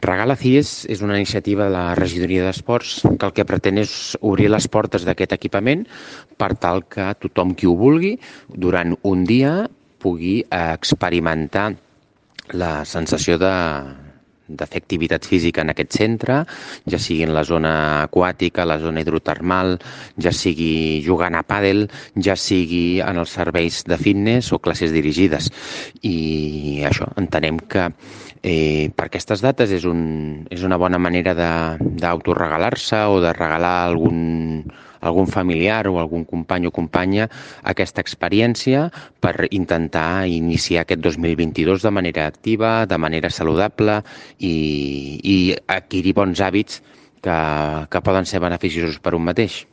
Regala CIES és una iniciativa de la Regidoria d'Esports que el que pretén és obrir les portes d'aquest equipament per tal que tothom qui ho vulgui durant un dia pugui experimentar la sensació de fer activitat física en aquest centre, ja sigui en la zona aquàtica, la zona hidrotermal, ja sigui jugant a pàdel, ja sigui en els serveis de fitness o classes dirigides. I això, entenem que per aquestes dates és una bona manera d'autoregalar-se o de regalar algun familiar o algun company o companya aquesta experiència per intentar iniciar aquest 2022 de manera activa, de manera saludable i adquirir bons hàbits que poden ser beneficiosos per un mateix.